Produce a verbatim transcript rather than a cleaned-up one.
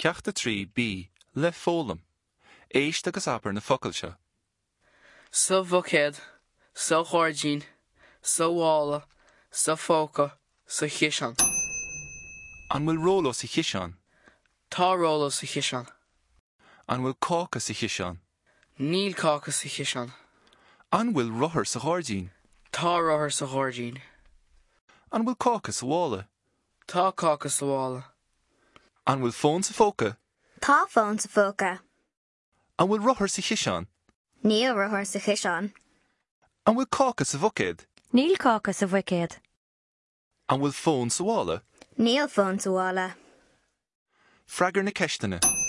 Ceacht a trí B le foghlaim. Éist agus abair na focail seo. Sa bhuicéad, sa ghairdín, sa mhála, sa phóca, sa chiseán. An bhfuil róló sa chiseán? Tá róló sa chiseán. An bhfuil cáca sa chiseán? Níl cáca sa chiseán. An bhfuil rothar sa ghairdín? Tá rothar sa ghairdín. An bhfuil cáca sa mhála? Tá cáca sa mhála. An bhfuil fón sa phóca? Tá fón sa phóca. An bhfuil rothar sa chiseán? Níl rothar sa chiseán. An bhfuil cáca sa bhuicéad? Níl cáca sa bhuicéad. An bhfuil fón sa mhála? Níl fón sa mhála. Freagair na ceisteanna.